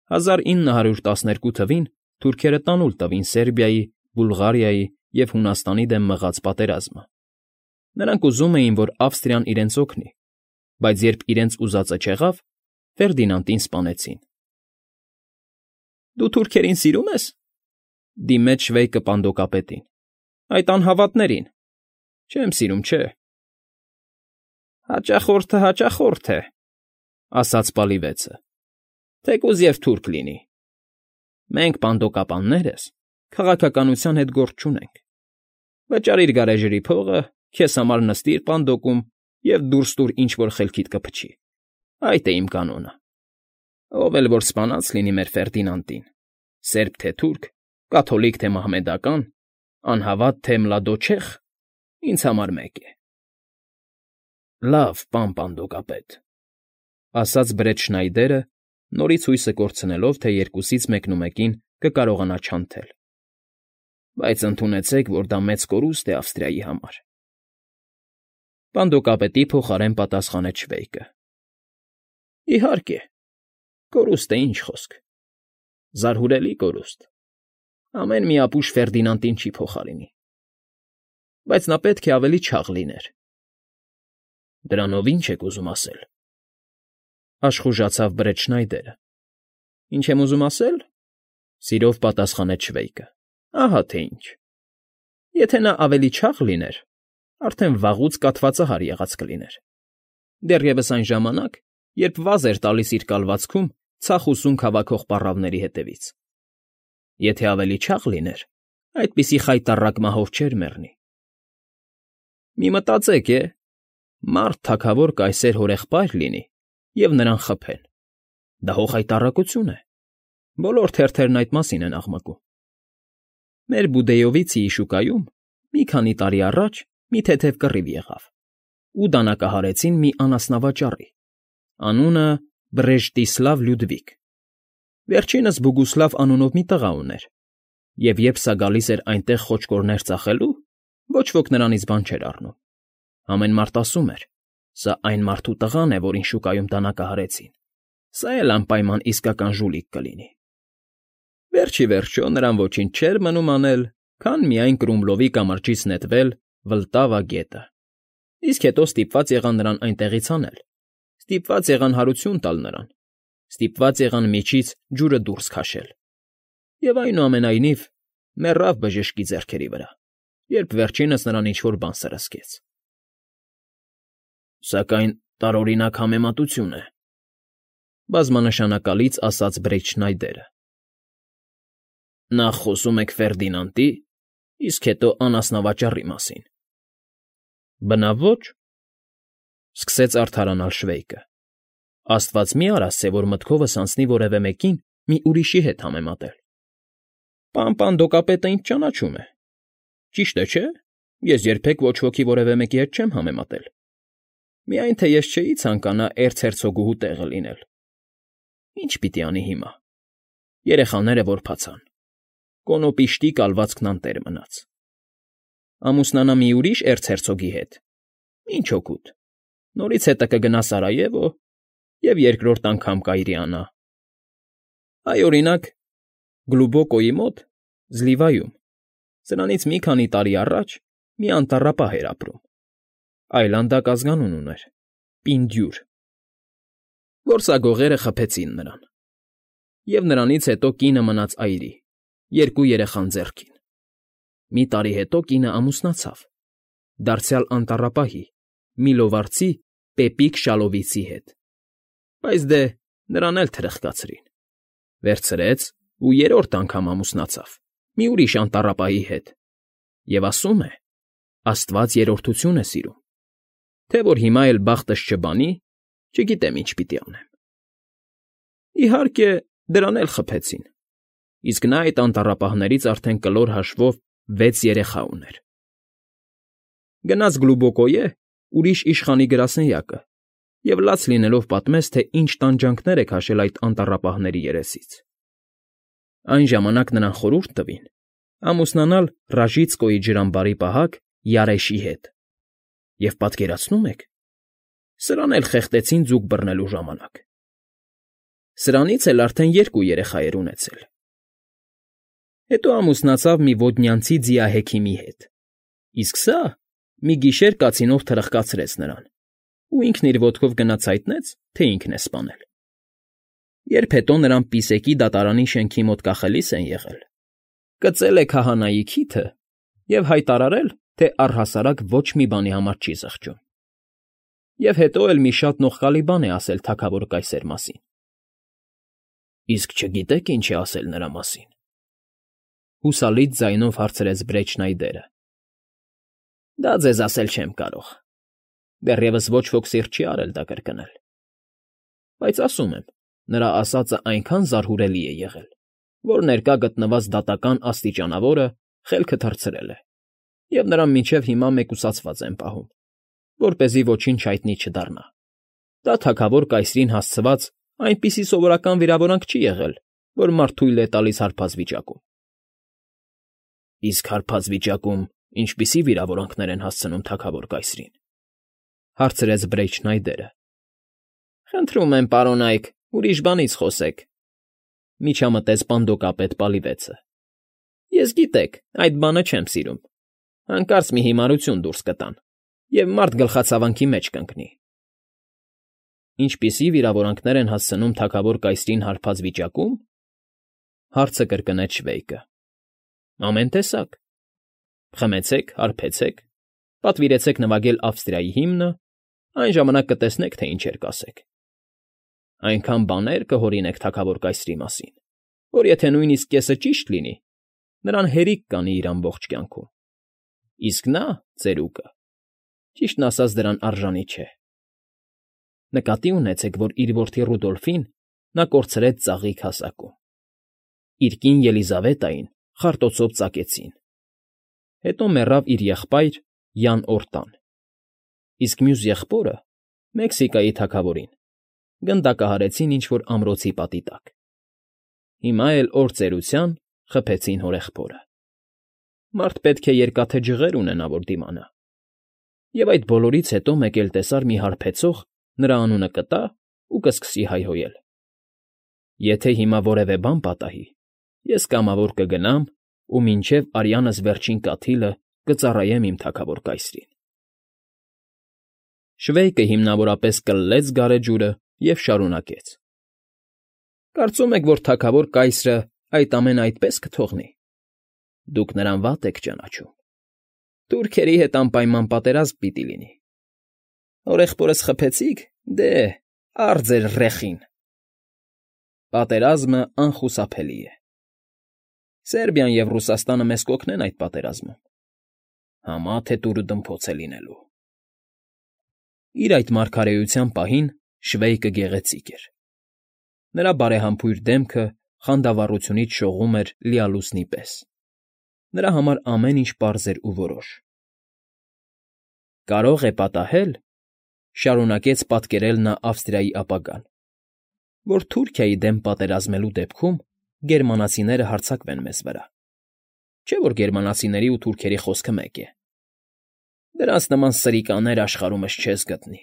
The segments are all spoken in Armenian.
1912 թվին թուրքերը տանուլ տվին Սերբիայի, Բուլղարիայի և Հունաստանի դեմ մղած պատերազմը։ Նրանք ուզում էին, որ Ավստրիան իրենց օգնի, բայց երբ իրենց ուզածը չեղավ, Ֆերդինանդին սպանեցին։ «Դու թուրքերին սիրում ես,֊ դիմեց Շվեյկը պանդոկապետին,֊ այդ անհավատներին։ Չեմ սիրում, չէ»։ «Հաճախորդը հաճախորդ է,֊ ասաց պալիվեցը,֊ թեկուզ և թուրք լինի։ Մենք, պանդոկապաններս, քաղաքականության հետ գործ չունենք։ Վճարիր գարեջրի փողը, քեզ համար նստիր պանդոկում և դուրս տուր ինչ֊որ խելքիդ կփչի։ Այդ է իմ կանոնը։ Ով էլ որ սպանած լինի մեր Ֆերդինանդին, սերբ թե թուրք, կաթոլիկ թե մահմեդական, անհավատ թե մլադոչեխ, ինձ համար մեկ է»։ «Լավ, պան պանդոկապետ,֊ ասաց Բրետ Շնայդերը, նորից հույսը կորցնելով, թե երկուսից մեկնումեկին կկարողանա չանթել։ «Բայց ընդունեցեք, որ դա մեծ կորուստ է Ավստրիայի համար»։ Պանդոկապետի փոխարեն պատասխանեց Շվեյկը. «Իհարկե, կորուստ է, ինչ խոսք. զարհուրելի կորուստ. ամեն մի ապուշ Ֆերդինանդին չի փոխարինի։ Բայց նա պետք է ավելի չաղ լիներ»։ «Դրանով ի՞նչ եք ուզում ասել,֊ աշխուժացավ Բրետ Շնայդերը։ «Ինչ եմ ուզում ասել,֊ սիրով պատասխանեց Շվեյկը,֊ ահա թե ինչ. եթե նա ավելի չաղ լիներ, արդեն վաղուց կաթվածահար եղած կլիներ, դեռևս այն ժամանակ, երբ վազ էր տալիս իր կալվածքում ցախ ու սունգ հավաքող պառավների հետևից։ Եթե ավելի չաղ լիներ, այդպիսի խայտառակ մահով չէր մեռնի։ Մի մտածեք, մարդ թագավոր կայսեր հորեղբայր լինի, և նրան խփեն. դա հո խայտառակություն է։ Բոլոր թերթերն այդ մասին են աղմկում։ Մեր Բուդեյովիցիի շուկայում մի քանի տարի առաջ մի թեթև կռիվ եղավ, ու դանակահարեցին մի անասնավաճառի, անունը Բրեժտիսլավ Լյուդվիգ։ Վերջինս Բուգուսլավ անունով մի տղա ուներ, և երբ սա գալիս էր այնտեղ խոճկորներ ծախելու, ոչ ոք նրանից բան չէր առնում։ Ամեն մարդ ասում էր. սա այն մարդու տղան է, որին շուկայում դանակահարեցին, սա էլ անպայման իսկական ժուլիկ կլինի։ Վերջ ի վերջո նրան ոչինչ չէր մնում անել, քան միայն Կրումլովի կամրջից նետվել Վլտավա գետը, իսկ հետո ստիպված եղան նրան այնտեղից հանել, ստիպված եղան հարություն տալ նրան, ստիպված եղան միջից ջուրը դուրս քաշել, և այնուամենայնիվ մեռավ բժշկի ձեռքերի վրա, երբ վերջինս նրան ինչ֊որ բան սրսկեց։ «Սակայն տարօրինակ համեմատություն է,֊ բազմանշանակալից ասաց Բրետ Շնայդերը։ Նախ խոսում եք Ֆերդինանդի, իսկ հետո անասնավաճառի մասին։ Բնավ ոչ,֊ սկսեց արդարանալ Շվեյկը։ Աստված մի արա ասե, որ մտքովս անցնի որևէ մեկին մի ուրիշի հետ համեմատել։ Պան պանդոկապետը ինձ ճանաչում է։ Ճիշտ է, չէ՞, ես երբեք ոչ ոքի որևէ մեկի հետ չեմ համեմատել։ Միայն թե ես չէի ցանկանա էրցհերցոգուհու տեղը լինել։ Ինչ պիտի անի հիմա։ Երեխաները որբացան։ Կոնոպիշտի կալվածքն անտեր մնաց։ Ամուսնանա մի ուրիշ էրցհերցոգի հետ։ Ինչ օգուտ։ Նորից հետը կգնա Սարայևո և երկրորդ անգամ կայրիանա։ Այ, օրինակ, Գլուբոկոյի մոտ, Զլիվայում, սրանից մի քանի տարի առաջ մի անտառապահ էր ապրում։ Այլանդակ ազգանուն ուներ՝ Պինդյուր։ Որսագողերը խփեցին նրան։ Եվ նրանից հետո կինը մնաց այրի, երկու երեխան ձեռքին։ Մի տարի հետո կինը ամուսնացավ, դարձյալ անտառապահի, մի լովարձի Պեպիկ Շալովիցի հետ։ Բայց դե, նրան էլ թրխկացրին։ Վերցրեց ու երրորդ անգամ ամուսնացավ մի ուրիշ անտառապահի հետ, և ասում է. Աստված երրորդություն է սիրում, թե որ հիմա էլ բախտս չբանի, չգիտեմ ինչ պիտի անեմ։ Իհարկե, դրան էլ խփեցին, իսկ նա այդ անտառապահներից արդեն կլոր հաշվով 6 երեխա ուներ։ Գնաց Գլուբոկոյե ուրիշ իշխանի գրասենյակը և լաց լինելով պատմեց, թե ինչ տանջանքներ է քաշել այդ անտառապահների երեսից։ Այն ժամանակ նրան խորհուրդ տվին ամուսնանալ Ռաժիցկոյի ջրամբարի պահակ Յարեշի հետ։ Եվ պատկերացնո՞ւմ եք, սրան էլ խեղդեցին ձուկ բռնելու ժամանակ։ Սրանից էլ արդեն 2 երեխա էր ունեցել։ Հետո ամուսնացավ մի ոդնյանցի ձիահեքիմի հետ, իսկ սա մի գիշեր կացինով թրխկացրեց նրան, ու ինքն իր ոտքով գնաց հայտնեց, թե ինքն է սպանել։ Երբ հետո նրան Պիսեկի դատարանի շենքի մոտ կախելիս են եղել, կծել է քահանայի քիթը և հայտարարել, թե առհասարակ ոչ մի բանի համար չի զղջում։ Եվ հետո էլ մի շատ նողկալի բան է ասել թագավոր կայսեր մասին։ Իսկ չգիտեք ինչ է ասել նրա մասին։ Հուսալից ձայնով հարցրեց Բրեչնայդերը։ Դա ձեզ ասել չեմ կարող։ Դեռևս ոչ ոք սիրտ չի արել դա կրկնել։ Բայց ասում եմ, նրա ասածը այնքան զարհուրելի է եղել, որ ներկա գտնված դատական աստիճանավորը խելքը թռցրել է, և նրան մինչև հիմա մեկուսացված են պահում, որպեսզի ոչինչ հայտնի չդառնա։ Դա թագավոր կայսրին հասցված այնպիսի սովորական վիրավորանք չի եղել, որ մարդ թույլ է տալիս հարբած վիճակում։ Իսկ հարբած վիճակում ինչպիսի վիրավորանքներ են հասցնում թագավոր կայսրին, հարցրեց Բրեչնայդերը։ Խնդրում եմ, պարոն Այք, ուրիշ բանից խոսեք, միջամտեց պանդոկապետ Պալիվեցը։ Ես գիտեք, այդ բանը չեմ սիրում։ Հանկարծ մի հիմարություն դուրս կտան, և մարդ գլխացավանքի մեջ կընկնի։ Ինչպիսի վիրավորանքներ են հասցնում թագավոր կայսրին հարբած վիճակում, հարցը կրկնեց Շվեյկը։ Ամեն տեսակ։ Խմեցեք, հարբեցեք, պատվիրեցեք նվագել Ավստրիայի հիմնը, այն ժամանակ կտեսնեք, թե ինչեր կասեք։ Այնքան բաներ կհորինեք թագավոր կայսրի մասին, որ եթե նույնիսկ կեսը ճիշտ լինի, նրան հերիք կանի իր ամբողջ կյանքում։ Իսկ նա, ծերուկը, ճիշտն ասած դրան արժանի չէ։ Նկատի ունեցեք, որ իր որդի Ռուդոլֆին նա կորցրեց ծաղիկ հասակում։ Իր կին Ելիզավետային խարտոցով ծակեցին։ Հետո մեռավ իր եղբայր Յան Օրտան, իսկ մյուս եղբորը, Մեքսիկայի թագավորին, գնդակահարեցին ինչ֊որ ամրոցի պատի տակ։ Հիմա էլ օր ծերության խփեցին հորեղբորը։ Մարդ պետք է երկաթե ջղեր ունենա, որ դիմանա։ Եվ այդ բոլորից հետո մեկ էլ տեսար մի հարբեցող նրա անունը կտա ու կսկսի հայհոյել։ Եթե հիմա որևէ բան պատահի, ես կամավոր կգնամ ու մինչև արյանս վերջին կաթիլը կծառայեմ իմ թագավոր կայսրին։ Շվեյկը հիմնավորապես կլլեց գարեջուրը և շարունակեց. Կարծում եք, որ թագավոր կայսրը այդ ամենը այդպես կթողնի։ Դուք նրան վատ եք ճանաչում։ Թուրքերի հետ անպայման պատերազմ պիտի լինի։ Հորեղբորս խփեցիք, դե, առ ձեր ռեխին։ Պատերազմը անխուսափելի է։ Սերբիան և Ռուսաստանը մեզ կօգնեն այդ պատերազմում։ Համա թե տուրը դմփոց է լինելու։ Իր այդ մարգարեության պահին Շվեյկը գեղեցիկ էր։ Նրա բարեհամբույր դեմքը խանդավառությունից շողում էր լիալուսնի պես։ Նրա համար ամեն ինչ պարզ էր ու որոշ։ Կարող է պատահել, շարունակեց պատկերել նա Ավստրիայի ապագան, որ Թուրքիայի դեմ պատերազմելու դեպքում գերմանացիները հարձակվեն մեզ վրա։ Չէ՞ որ գերմանացիների ու թուրքերի խոսքը մեկ է։ Դրանց նման սրիկաներ աշխարհումս չես գտնի։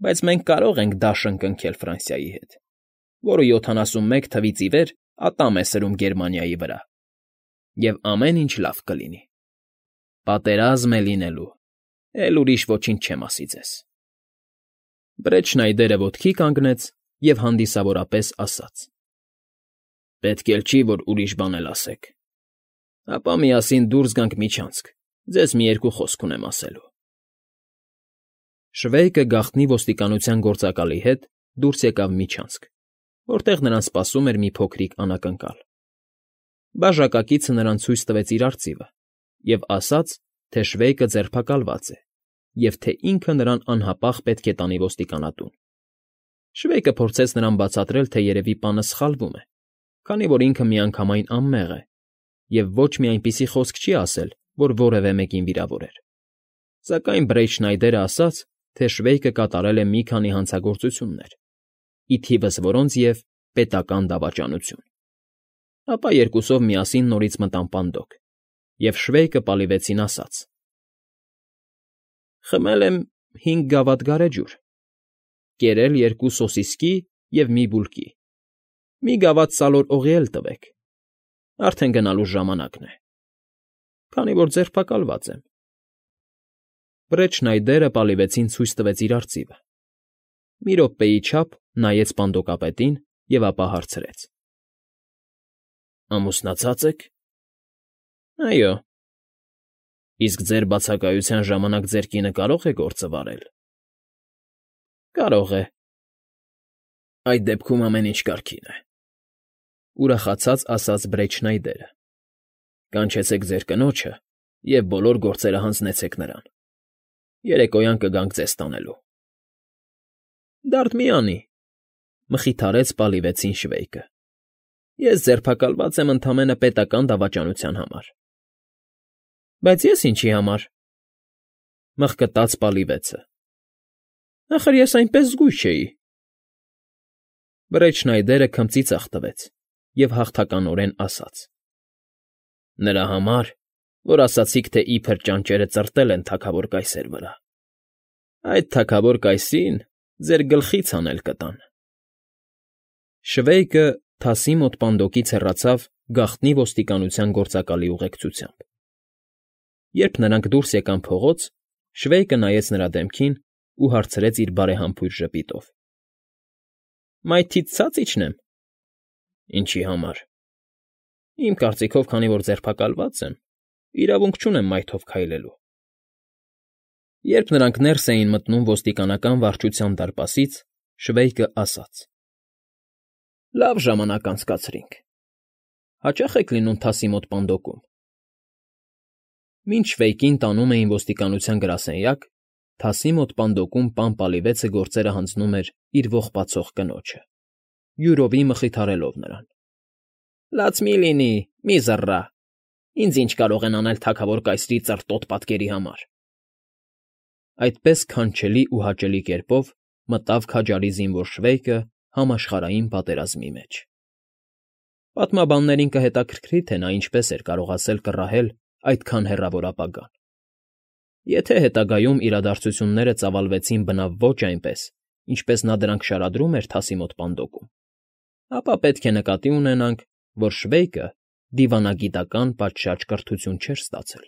Բայց մենք կարող ենք դաշն կնքել Ֆրանսիայի հետ, որը 71 թվից ի վեր ատամ է սրում Գերմանիայի վրա, և ամեն ինչ լավ կլինի։ Պատերազմ է լինելու, էլ ուրիշ ոչինչ չեմ ասի ձեզ։ Բրեչնայդերը ոտքի կանգնեց և հանդիսավորապես ասաց. Պետք էլ չի, որ ուրիշ բան էլ ասեք։ Ապա միասին դուրս գանք միջանցք, ձեզ մի երկու խոսք ունեմ ասելու։ Շվեյկը գաղտնի ոստիկանության գործակալի հետ դուրս եկավ միջանցք, որտեղ նրան սպասում էր մի փոքրիկ անակնկալ։ Բաժակակիցը նրան ցույց տվեց իր արծիվը և ասաց, թե Շվեյկը ձերբակալված է և թե ինքը նրան անհապաղ պետք է տանի ոստիկանատուն։ Շվեյկը փորձեց նրան բացատրել, թե երևի պանը սխալվում է, քանի որ ինքը միանգամայն անմեղ է և ոչ մի այնպիսի խոսք չի ասել, որ որևէ մեկին վիրավորեր։ Սակայն Բրեչնայդերը ասաց, թե Շվեյկը կատարել է մի քանի հանցագործություններ, ի թիվս որոնց և պետական դավաճանություն։ Ապա երկուսով միասին նորից մտան պանդոկ, և Շվեյկը Պալիվեցին ասաց. Խմել եմ 5 գավաթ գարեջուր, կերել 2 սոսիսկի և մի բուլկի։ Մի գավաթ սալոր օղի էլ տվեք, արդեն գնալու ժամանակն է, քանի որ ձերբակալված եմ։ Բրեչնայդերը պալիվեցին ցույց տվեց իր արծիվը։ Մի րոպեի չափ նայեց պանդոկապետին և ապա հարցրեց. ֊ Ամուսնացած եք։ ֊ Այո։ ֊ Իսկ ձեր բացակայության ժամանակ ձեր կինը կարո՞ղ է գործը վարել։ ֊ Կարող է։ ֊ Այդ դեպքում ամեն ինչ կարգին է,֊ ուրախացած ասաց Բրեչնայդերը։ ֊ Կանչեցեք ձեր կնոջը և բոլոր գործերը հանձնեցեք նրան. երեկոյան կգանք ձեզ տանելու։ ֊ Դարդ մի անի,֊ մխիթարեց պալիվեցին շվեյկը։ ֊ Ես ձերբակալված եմ ընդամենը պետական դավաճանության համար։ ֊ Բայց ես ինչի համար,֊ մղկտաց պալիվեցը։ ֊ Ախր ես այնպես զգույշ չէի։ Բրեչնայդերը քմծի ծախ տվեց և հաղթականորեն ասաց. ֊ Նրա համար, որ ասացիք, թե իբր ճանճերը ծրտել են թագավոր կայսեր վրա, այդ թագավոր կայսին ձեր գլխից հանել կտան։ Շվեյկը թասի մոտ պանդոկից հեռացավ գաղտնի ոստիկանության գործակալի ուղեկցությամբ։ Երբ նրանք դուրս եկան փողոց, Շվեյկը նայեց նրա դեմքին ու հարցրեց իր բարեհամբույր ժպիտով. ֊ Մայթիդ ցած իջնեմ։ ֊ Ինչի համար։ ֊ Իմ կարծիքով, քանի որ ձերբակալված եմ, իրավունք չունեմ մայթով քայլելու։ Երբ նրանք ներս էին մտնում ոստիկանական վարչության դարպասից, Շվեյկը ասաց. ֊ Լավ ժամանակ անցկացրինք։ Հաճա՞խ եք լինում թասի մոտ պանդոկում։ Մինչ Շվեյկին տանում էին ոստիկանության գրասենյակ, թասի մոտ պանդոկում պան պալիվեցը գործերը հանձնում էր իր ողբացող կնոջը, յուրովի մխիթարելով նրան. ֊ Լաց մի՛ լինի, մի՛ զռռա, ինձ ինչ կարող են անել թագավոր կայսրի ծռտոտ պատկերի համար։ Այդպես քանչելի ու հաճելի կերպով մտավ քաջարի զինվոր Շվեյկը համաշխարհային պատերազմի մեջ։ Պատմաբաններին կհետաքրքրի, թե նա ինչպես էր կարողացել կռահել այդքան հեռավոր ապագան։ Եթե հետագայում իրադարձությունները ծավալվեցին բնավ ոչ այնպես, ինչպես նա դրանք շարադրում էր թասի մոտ պանդոկում, ապա պետք է նկատի ունենանք, որ Շվեյկը դիվանագիտական պատշաճ կրթություն չէր ստացել։